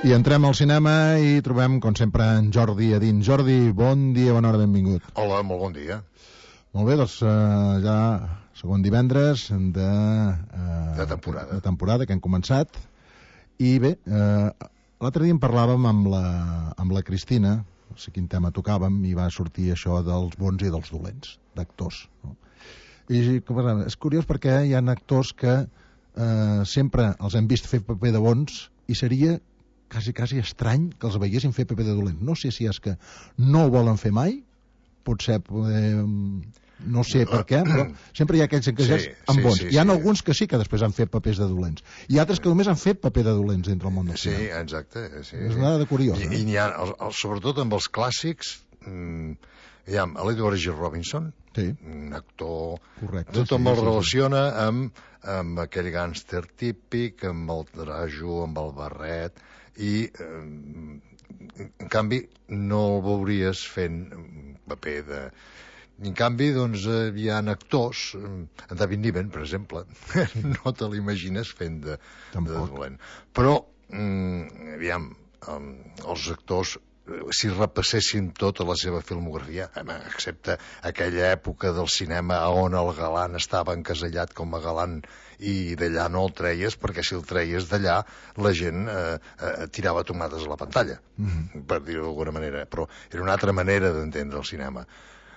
I entrem al cinema i trobem, com sempre, en Jordi a dins. Jordi, bon dia, bona hora, benvingut. Hola, molt bon dia. Molt bé, doncs ja segon divendres de temporada que hem començat. I bé, l'altre dia en parlàvem amb la Cristina, no sé quin tema tocàvem, i va sortir això dels bons i dels dolents, d'actors. No? I és curiós perquè hi ha actors que sempre els hem vist fer paper de bons i seria quasi estrany que els veiessin fer paper de dolent. No sé si és que no ho volen fer mai, potser no sé per què, però sempre hi ha aquells encasellats amb bons. Hi ha alguns que sí que després han fet papers de dolents i altres que només han fet paper de dolents dintre el món del cinema. Sí, exacte. És una de curiós. I n'hi ha, sobretot amb els clàssics, hi ha l'Edward G. Robinson, un actor... Correcte. Tothom el relaciona amb aquell gàngster típic, amb el trajo, amb el barret, i en canvi no el veuries fent paper de... En canvi, doncs, hi ha actors, en David Niven, per exemple, no te l'imagines fent de dolent. Però, aviam, els actors, si repassessin tota la seva filmografia, excepte aquella època del cinema on el galant estava encasellat com a galant i d'allà no el treies, perquè si el treies d'allà la gent tirava tomates a la pantalla, per dir-ho d'alguna manera. Però era una altra manera d'entendre el cinema.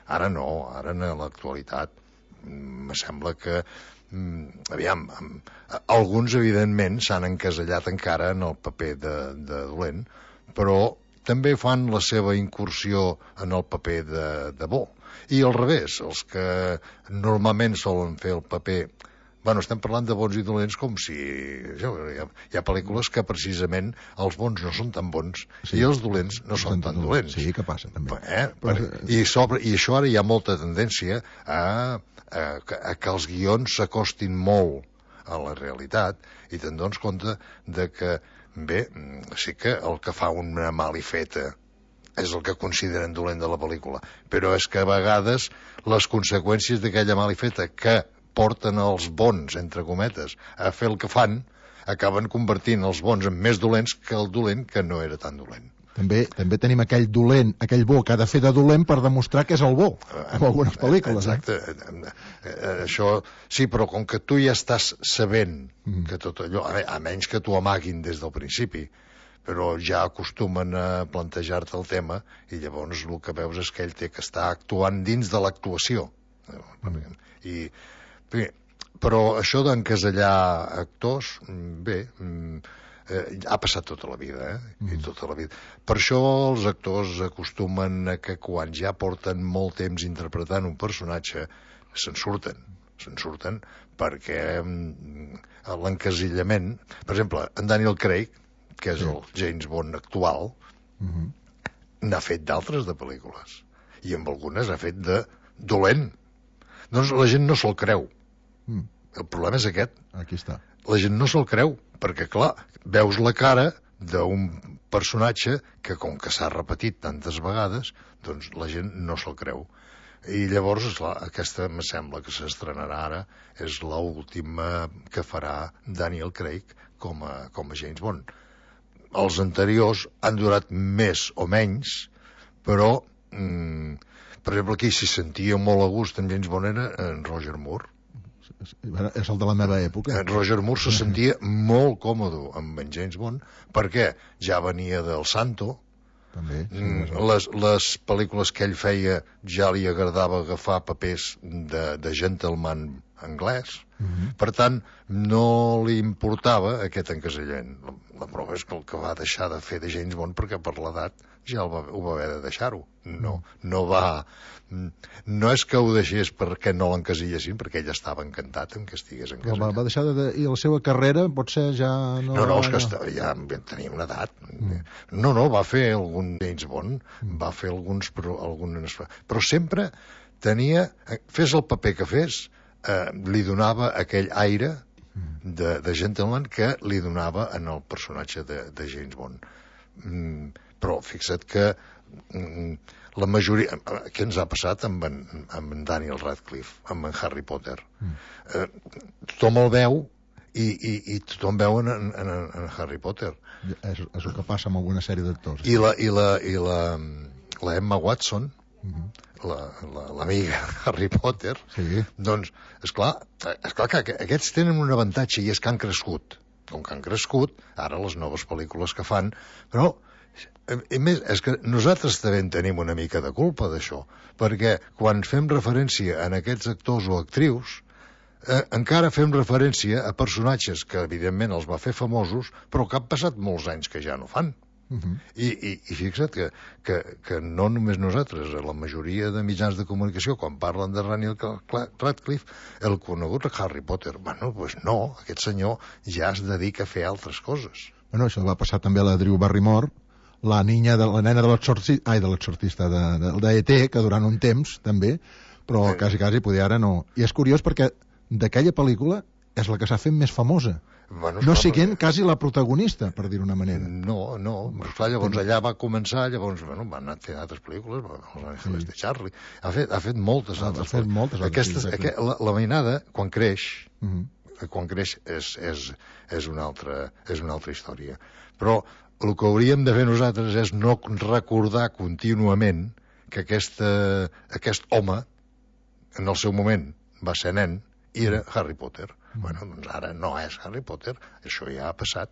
Ara no, ara en l'actualitat me sembla que aviam, alguns evidentment s'han encasellat encara en el paper de dolent, però també fan la seva incursió en el paper de bo. I al revés, els que normalment solen fer el paper... Bueno, estem parlant de bons i dolents com si... Hi ha pel·lícules que precisament els bons no són tan bons i els dolents no són tan dolents. Sí, que passa, també. I això ara hi ha molta tendència a que els guions s'acostin molt a la realitat i te'n dones compte de que, bé, sí que el que fa una malifeta és el que consideren dolent de la pel·lícula, però és que a vegades les conseqüències d'aquella malifeta que porten els bons, entre cometes, a fer el que fan, acaben convertint els bons en més dolents que el dolent que no era tan dolent. També tenim aquell dolent, aquell bo que ha de fer de dolent per demostrar que és el bo, en algunes pel·lícules. Exacte. Això, sí, però com que tu ja estàs sabent que tot allò, a menys que t'ho amaguin des del principi, però ja acostumen a plantejar-te el tema i llavors el que veus és que ell té que estar actuant dins de l'actuació. Però això d'encasellar actors, bé, ha passat tota la vida, i tota la vida. Per això els actors acostumen a que quan ja porten molt temps interpretant un personatge se'n surten perquè l'encasillament... Per exemple, en Daniel Craig, que és el James Bond actual, n'ha fet d'altres de pel·lícules i amb algunes ha fet de dolent. Doncs la gent no se'l creu. El problema és aquest. Aquí està. La gent no se'l creu, perquè, clar, veus la cara d'un personatge que, com que s'ha repetit tantes vegades, doncs la gent no se'l creu. I llavors, esclar, aquesta, me sembla que s'estrenarà ara, és l'última que farà Daniel Craig com a James Bond. Els anteriors han durat més o menys, però... Per exemple, qui s'hi sentia molt a gust en James Bond era en Roger Moore. És el de la meva època. En Roger Moore se sentia molt còmode amb en James Bond, perquè ja venia del Santo. També. Les pel·lícules que ell feia ja li agradava agafar papers de gentleman anglès. Per tant, no li importava aquest encasellament. La prova és que el que va deixar de fer de James Bond perquè per l'edat ja ho va haver de deixar-ho. No és que ho deixés perquè no l'encasillessin, perquè ell estava encantat en que estigués encasellat. Va deixar i la seva carrera potser ja no... No, és que ja tenia una edat. No, va fer algun James Bond, va fer algunes... Però sempre tenia... Fes el paper que fes, li donava aquell aire de gentleman que li donava en el personatge de James Bond. Però fixa't que la majoria... Què ens ha passat amb en Daniel Radcliffe, amb en Harry Potter? Tothom el veu i tothom veu en Harry Potter. És el que passa amb alguna sèrie d'actors. I la Emma Watson, l'amiga Harry Potter, Sí. doncs, esclar que aquests tenen un avantatge i és que han crescut. Com que han crescut, ara les noves pel·lícules que fan, però a més, és que nosaltres també en tenim una mica de culpa d'això, perquè quan fem referència a aquests actors o actrius, encara fem referència a personatges que evidentment els va fer famosos, però que han passat molts anys que ja no fan. I fixa't que no només nosaltres, la majoria de mitjans de comunicació, quan parlen de Daniel Radcliffe, el conegut Harry Potter. Bueno, doncs no, aquest senyor ja es dedica a fer altres coses. Bueno, això va passar també a la Drew Barrymore, la nena de l'exorcista d'E.T., que durant un temps també, però quasi podia ara no. I és curiós perquè d'aquella pel·lícula és la que s'ha fet més famosa. Bueno, no siguent quasi la protagonista, per dir-ho d'una manera. No, clar, llavors allà va començar, llavors van anar fent altres pel·lícules, Els Àngels de Charlie, ha fet moltes altres pel·lícules. La mainada, quan creix, és una altra història. Però el que hauríem de fer nosaltres és no recordar contínuament que aquest home, en el seu moment, va ser nen, i era Harry Potter. Bueno, doncs ara no és Harry Potter, això ja ha passat.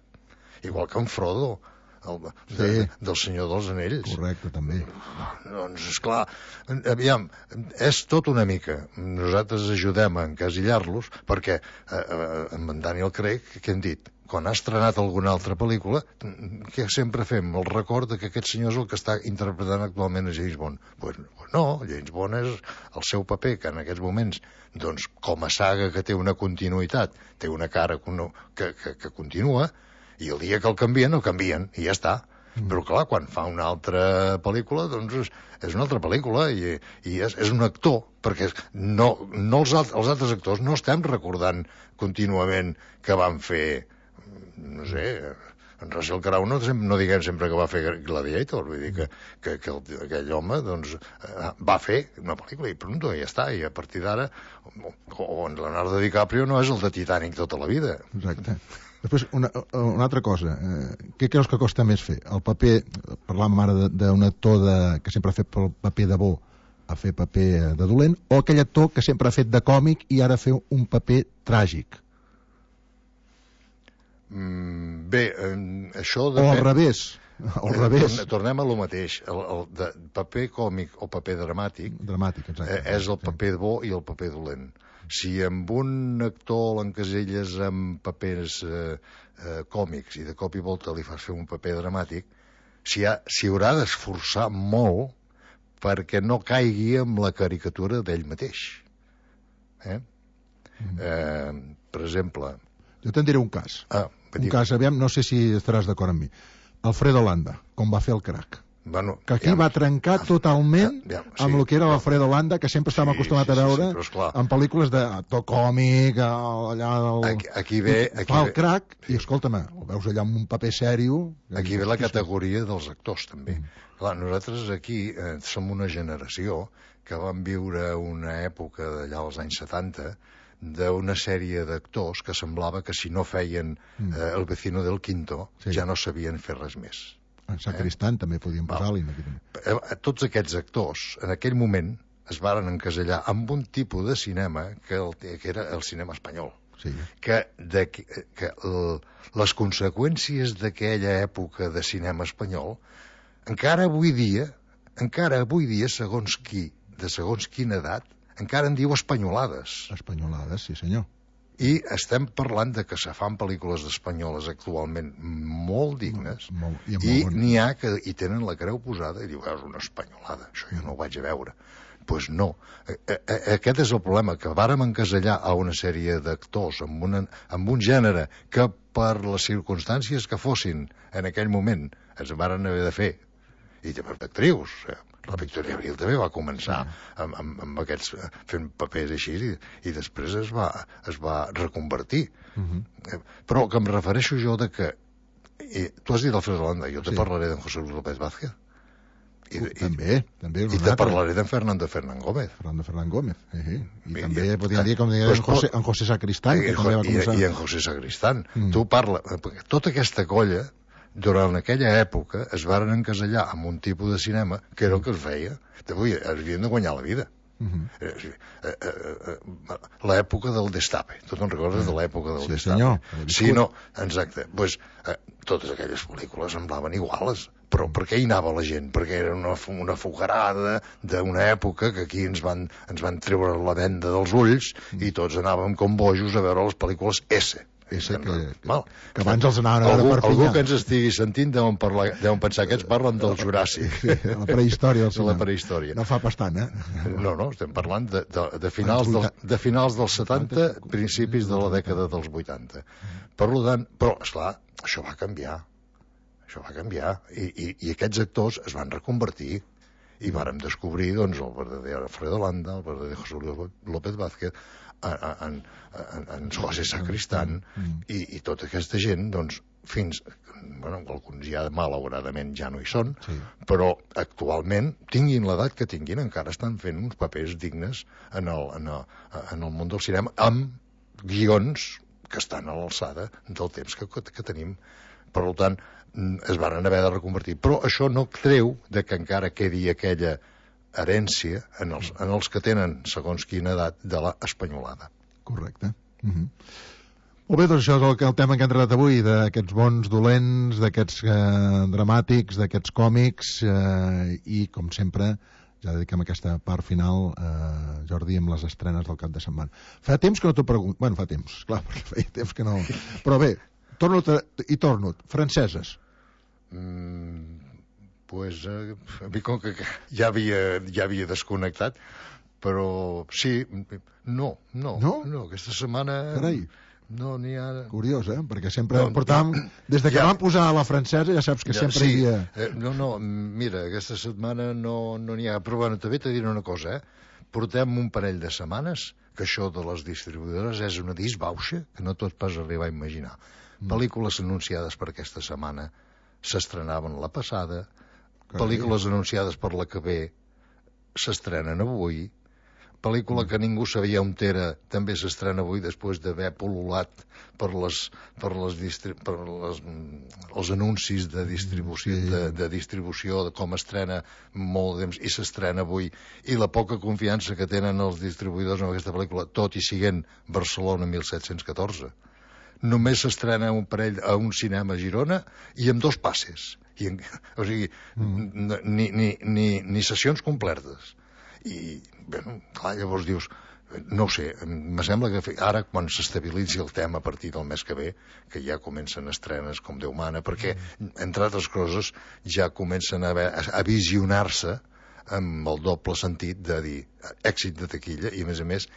Igual que en Frodo, del Senyor dels Anells. Correcte, també. Doncs, esclar, aviam, és tot una mica. Nosaltres ajudem a encasillar-los, perquè amb en Daniel Craig, què hem dit? Quan ha estrenat alguna altra pel·lícula, que sempre fem el record que aquest senyor és el que està interpretant actualment a James Bond. Pues no, James Bond és el seu paper, que en aquests moments, doncs, com a saga que té una continuïtat, té una cara que continua, i el dia que el canvien, i ja està. Però clar, quan fa una altra pel·lícula, doncs és una altra pel·lícula i és un actor, perquè els altres actors no estem recordant contínuament que van fer, no sé, en Russell Crowe no diguem sempre que va fer Gladiator, vull dir que aquell home doncs, va fer una pel·lícula i pronto, ja està, i a partir d'ara o en Leonardo DiCaprio no és el de Titanic tota la vida. Exacte. Després, una altra cosa, què creus que costa més fer? El paper, parlàvem ara d'un actor que sempre ha fet el paper de bo a fer paper de dolent, o aquell actor que sempre ha fet de còmic i ara fa un paper tràgic? Bé, això depèn... O al revés. Tornem a lo mateix. El de paper còmic o paper dramàtic exacte, és el paper bo i el paper dolent. Si amb un actor l'encaselles amb papers còmics i de cop i volta li fas fer un paper dramàtic, s'hi haurà d'esforçar molt perquè no caigui amb la caricatura d'ell mateix. Per exemple... Jo te'n diré un cas. Aviam, no sé si estaràs d'acord amb mi. Alfredo Landa, com va fer el Crac. Bueno, que aquí va trencar totalment amb el que era l'Alfredo Landa, que sempre estàvem acostumats a veure en pel·lícules d'actor còmic, aquí ve el Crac, i escolta'm, ho veus allà amb un paper sèrio. Aquí ve la categoria dels actors, també. Clar, nosaltres aquí som una generació que vam viure una època d'allà als anys 70 d'una sèrie d'actors que semblava que si no feien El vecino del quinto ja no sabien fer res més. En Sacristán també podíem posar-li. Tots aquests actors en aquell moment es varen encasellar amb un tipus de cinema que era el cinema espanyol. Que les conseqüències d'aquella època de cinema espanyol encara avui dia, segons qui, de segons quina edat, encara en diu espanyolades. Espanyolades, sí senyor. I estem parlant de que se fan pel·lícules espanyoles actualment molt dignes i n'hi ha que hi tenen la creu posada i diu, és una espanyolada, això jo no ho vaig a veure. Doncs no. Aquest és el problema, que vàrem encasellar a una sèrie d'actors amb un gènere que per les circumstàncies que fossin en aquell moment es varen haver de fer, i també d'actrius. La Victoria Abril també va començar amb aquests fent papers així i després es va reconvertir. Però que em refereixo jo de que tu has dit Alfredo Landa, jo te parlaré d'en José Luis López Vázquez També. I te parlaré d'en Fernando Gómez. Fernando Gómez. I també podríem dir, com deia, en José Sacristán, que també va començar. I en José Sacristán. Tu parla... Tota aquesta colla, durant aquella època, es varen encasellar amb un tipus de cinema que era el que es feia. Avui havien de guanyar la vida. L'època del Destape. Tu te'n recordes de l'època del Destape? Senyor. Sí, no, exacte. Pues, totes aquelles pel·lícules semblaven iguales. Però per què hi anava la gent? Perquè era una fogarada d'una època que aquí ens van treure la venda dels ulls i tots anàvem com bojos a veure les pel·lícules S. Que abans els anaven a veure per Algú que ens estigui sentint deuen pensar que ens parlen del Juràssic. La prehistòria. La prehistòria. No fa bastant, No, estem parlant de finals dels 70, principis de la dècada dels 80. Per tant, però, esclar, això va canviar. I aquests actors es van reconvertir i vàrem descobrir, doncs, el verdader Alfredo Landa, el verdader José López Vázquez, en José Sacristán i tota aquesta gent, doncs, alguns ja malauradament ja no hi són, però actualment, tinguin l'edat que tinguin, encara estan fent uns papers dignes en el món del cinema, amb guions que estan a l'alçada del temps que tenim. Per tant, es varen haver de reconvertir. Però això no treu que encara quedi aquella herència en els que tenen, segons quina edat, de l'espanyolada. Correcte. Molt bé, doncs això és el tema que hem tratat avui, d'aquests bons dolents, d'aquests dramàtics, d'aquests còmics, i, com sempre, ja dediquem aquesta part final, Jordi, amb les estrenes del cap de setmana. Fa temps que no t'ho pregunto. Bueno, fa temps, clar, perquè feia temps que no... Però bé, torno. Franceses. Pues, com que ja havia desconnectat, però sí, no, aquesta setmana... Carai. No n'hi ha... Curiós, perquè sempre portàvem... Des que vam posar a la francesa ja saps que sempre hi havia... Mira, aquesta setmana no n'hi ha... Però bueno, també t'he dit una cosa, portem un parell de setmanes que això de les distribuïdores és una disbauxa que no tot pas arribar a imaginar. Pel·lícules anunciades per aquesta setmana s'estrenaven la passada, pel·lícules anunciades per la que ve s'estrenen avui, pel·lícula que ningú sabia on era també s'estrena avui després d'haver pol·lulat per els anuncis de distribució de com estrena molt de temps i s'estrena avui, i la poca confiança que tenen els distribuïdors en aquesta pel·lícula, tot i siguent Barcelona 1714. Només s'estrena un parell a un cinema a Girona i amb 2 passes. O sigui, ni sessions completes. I, clar, llavors dius, no ho sé, em sembla que ara, quan s'estabilitzi el tema a partir del mes que ve, que ja comencen estrenes com Déu mana, perquè, entre altres coses, ja comencen a visionar-se amb el doble sentit de dir èxit de taquilla i, a més,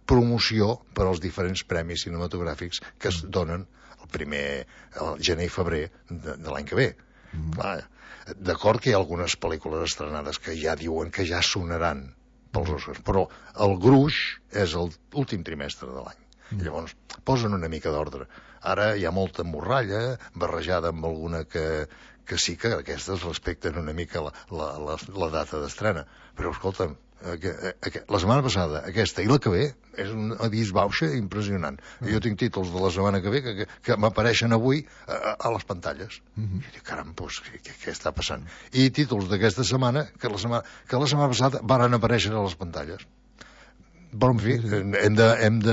promoció per als diferents premis cinematogràfics que es donen el gener i febrer de l'any que ve. D'acord que hi ha algunes pel·lícules estrenades que ja diuen que ja sonaran pels Oscars, però el gruix és l'últim trimestre de l'any. Llavors posen una mica d'ordre. Ara hi ha molta morralla barrejada amb alguna que sí que aquestes respecten una mica la data d'estrena, però escolta'm, la setmana passada, aquesta i la que ve, és una disbauxa impressionant. Jo tinc títols de la setmana que ve que m'apareixen avui a les pantalles. I dic, caram, què està passant? I títols d'aquesta setmana que la setmana passada varen aparèixer a les pantalles. Però, en fi, hem de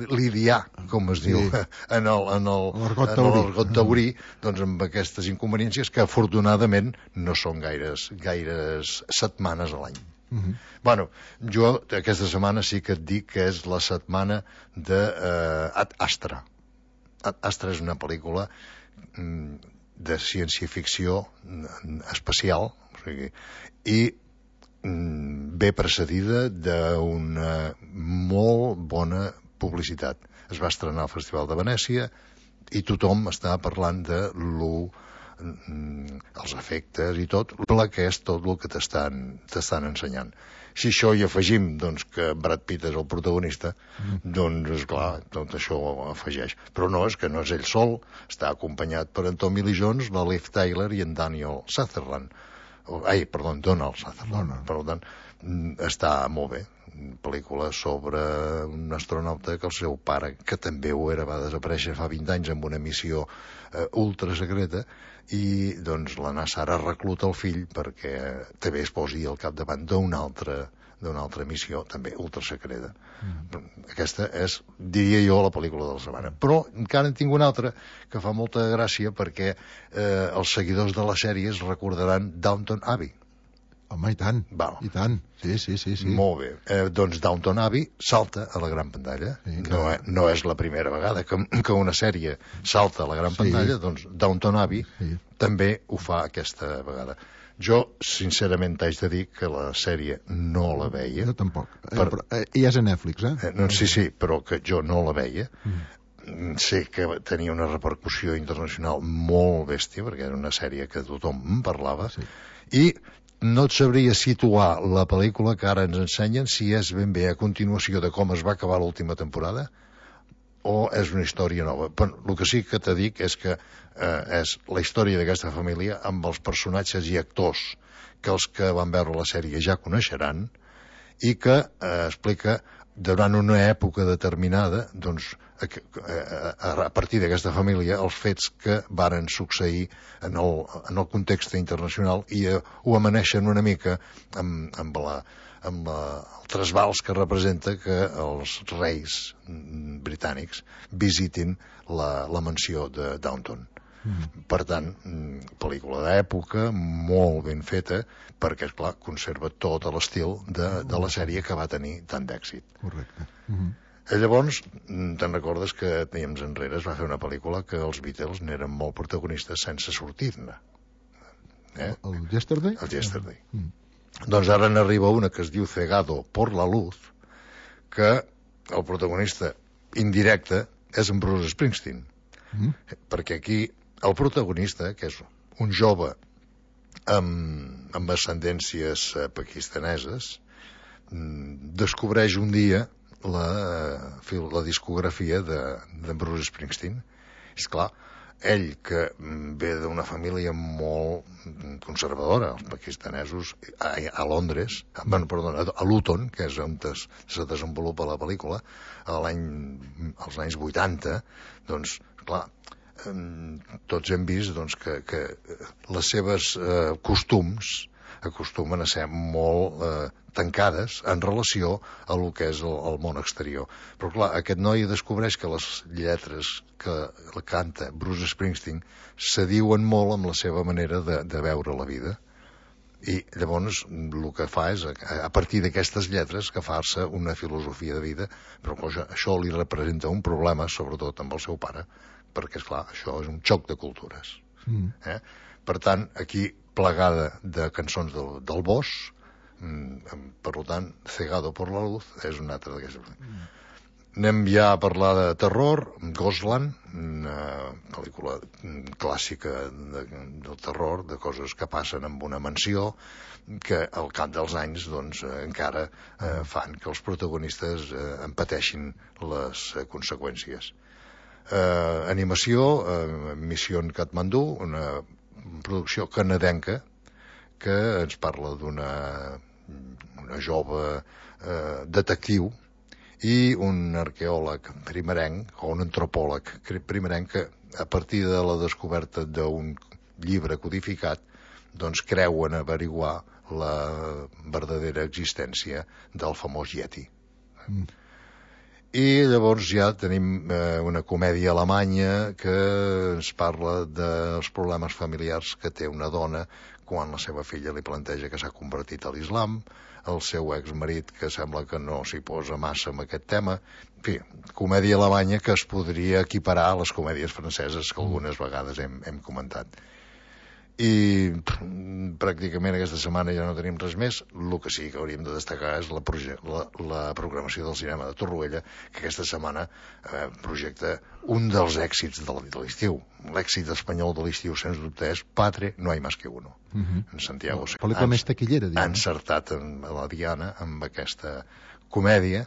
lidiar, com es diu, en l'argot taurí, doncs amb aquestes inconveniències que, afortunadament, no són gaires setmanes a l'any. Bueno, jo aquesta setmana sí que et dic que és la setmana d'Ad Astra. Ad Astra és una pel·lícula de ciència-ficció espacial, i ve precedida d'una molt bona publicitat. Es va estrenar al Festival de Venècia i tothom està parlant de els efectes i tot, que és tot el que t'estan ensenyant. Si això hi afegim que Brad Pitt és el protagonista, doncs, esclar, tot això ho afegeix. Però no, és que no és ell sol, està acompanyat per en Tommy Lee Jones, la Liv Tyler i en Daniel Sutherland. Donald Sutherland. Per tant, està molt bé. Pel·lícula sobre un astronauta que el seu pare, que també ho era, va desaparèixer fa 20 anys amb una missió ultra secreta, i doncs la NASA ara recluta el fill perquè també es posi al capdavant d'una altra missió, també ultrasecreta. Aquesta és, diria jo, la pel·lícula de la setmana. Però encara en tinc una altra que fa molta gràcia perquè els seguidors de la sèrie es recordaran Downton Abbey. Home, i tant, i tant. Sí. Molt bé. Doncs Downton Abbey salta a la gran pantalla. Sí, no és la primera vegada que una sèrie salta a la gran pantalla, doncs Downton Abbey també ho fa aquesta vegada. Jo, sincerament, t'haig de dir que la sèrie no la veia. Jo tampoc. Però ja és a Netflix, Sí, però que jo no la veia. Sé que tenia una repercussió internacional molt bèstia, perquè era una sèrie que tothom en parlava, i no et sabria situar la pel·lícula que ara ens ensenyen si és ben bé a continuació de com es va acabar l'última temporada o és una història nova. Però el que sí que t'he dit és que és la història d'aquesta família amb els personatges i actors que els que van veure la sèrie ja coneixeran i que explica durant una època determinada, doncs, a partir d'aquesta família, els fets que varen succeir en el context internacional i ho amaneixen una mica amb el trasbals que representa que els reis britànics visitin la mansió de Downton. Per tant, pel·lícula d'època, molt ben feta, perquè, esclar, conserva tot l'estil de la sèrie que va tenir tant d'èxit. Correcte. Llavors, te'n recordes que temps enrere es va fer una pel·lícula que els Beatles n'eren molt protagonistes sense sortir-ne. El Yesterday? El Yesterday. Doncs ara n'arriba una que es diu Cegado por la luz, que el protagonista indirecte és en Bruce Springsteen. Perquè aquí el protagonista, que és un jove amb ascendències pakistaneses, descobreix un dia la discografia de Bruce Springsteen. És clar, ell que ve d'una família molt conservadora, els pakistanesos, a Londres, a Luton, que és on se desenvolupa la pel·lícula, als anys 80, doncs, clar, tots hem vist doncs, que les seves costums acostumen a ser molt tancades en relació a el que és el món exterior. Però clar, aquest noi descobreix que les lletres que canta Bruce Springsteen se diuen molt amb la seva manera de veure la vida. I llavors el que fa és, a partir d'aquestes lletres, agafar-se una filosofia de vida, però això li representa un problema, sobretot amb el seu pare, perquè, esclar, això és un xoc de cultures. Per tant, aquí plegada de cançons del Bosch, per tant, Cegado por la luz és una altra d'aquestes. Anem ja a parlar de terror, Ghostland, una pel·lícula clàssica del terror, de coses que passen en una mansió, que al cap dels anys doncs, encara fan que els protagonistes en pateixin les conseqüències. Animació, Mission Kathmandu, una producció canadenca que ens parla d'una jove detectiu i un arqueòleg primerenc, o un antropòleg primerenc, que a partir de la descoberta d'un llibre codificat doncs creuen averiguar la verdadera existència del famós Yeti. I llavors ja tenim una comèdia alemanya que ens parla dels problemes familiars que té una dona quan la seva filla li planteja que s'ha convertit a l'islam, el seu exmarit que sembla que no s'hi posa massa amb aquest tema. En fi, comèdia alemanya que es podria equiparar a les comèdies franceses que algunes vegades hem comentat. I pràcticament aquesta setmana ja no tenim res més. El que sí que hauríem de destacar és la programació del cinema de Torroella, que aquesta setmana projecta un dels èxits de l'estiu. L'èxit espanyol de l'estiu, sens dubte, és Padre, no hay más que uno. En Santiago pel·lícula més taquillera, ha encertat la Diana amb aquesta comèdia,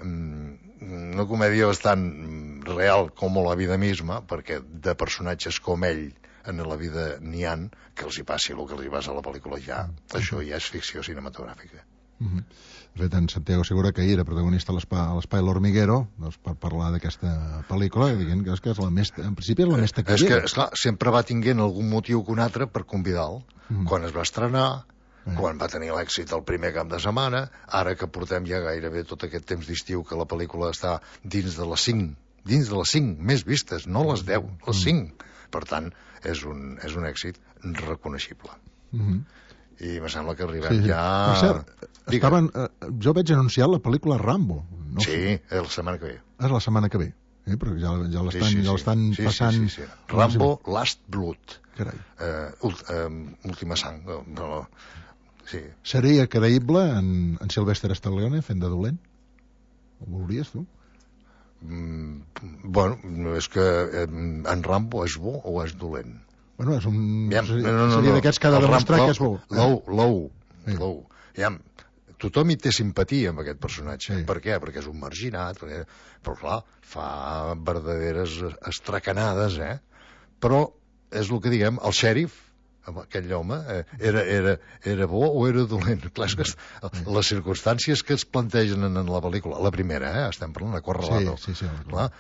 una comèdia bastant real com la vida misma, perquè de personatges com ell en la vida n'hi han, que els hi passi el que els hi passa a la pel·lícula ja. Això ja és ficció cinematogràfica. De fet, en Santiago Segura, que hi era protagonista a l'Espai L'Hormiguero, doncs, per parlar d'aquesta pel·lícula, dient que és la més, en principi és la més taquillera. És que, esclar, sempre va tinguent algun motiu que un altre per convidar-lo. Quan es va estrenar, quan va tenir l'èxit el primer cap de setmana, ara que portem ja gairebé tot aquest temps d'estiu que la pel·lícula està dins de les 5 més vistes, no les 10, les 5. Per tant, és un èxit reconeixible. I me sembla que arribem ja... Per cert, jo veig anunciat la pel·lícula Rambo. No sí, la setmana que ve. És la setmana que ve, però ja l'estan passant... Sí. Rambo Last Blood. Carai. Última sang. Sí. Seria creïble en Sylvester Stallone fent de dolent? Ho veuries, tu? Bueno, és que en Rambo és bo o és dolent? Bueno, és un... Seria d'aquests que ha de demostrar que és bo. L'ou. Tothom hi té simpatia amb aquest personatge. Per què? Perquè és un marginat, però clar, fa verdaderes estracanades, Però és el que diguem, el xèrif, aquell home, era bo o era dolent? Clar, és que les circumstàncies que es plantegen en la pel·lícula, la primera, estem parlant de Corralado, clar,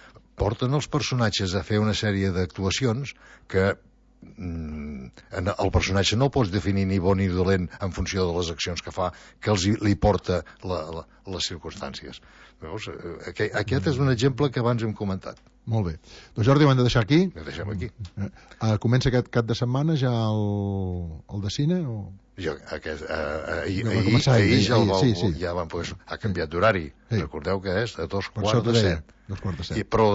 porten els personatges a fer una sèrie d'actuacions que el personatge no el pots definir ni bo ni dolent en funció de les accions que fa, que li porta les circumstàncies. Veus? Aquest és un exemple que abans hem comentat. Molt bé. Doncs Jordi, ho hem de deixar aquí. Ho deixem aquí. Comença aquest cap de setmana ja el de cine? Ahir ja van poder... Ha canviat d'horari. Recordeu que és a 2:15. Però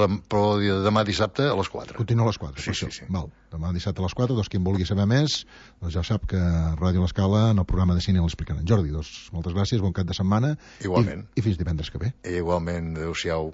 demà dissabte a les 4. Continua a les 4. Sí. Val. Demà dissabte a les 4, doncs qui en vulgui saber més, doncs ja sap que Ràdio L'Escala en el programa de cine l'explicaran. Jordi, doncs moltes gràcies, bon cap de setmana. Igualment. I fins divendres que ve. Igualment, adeu-siau.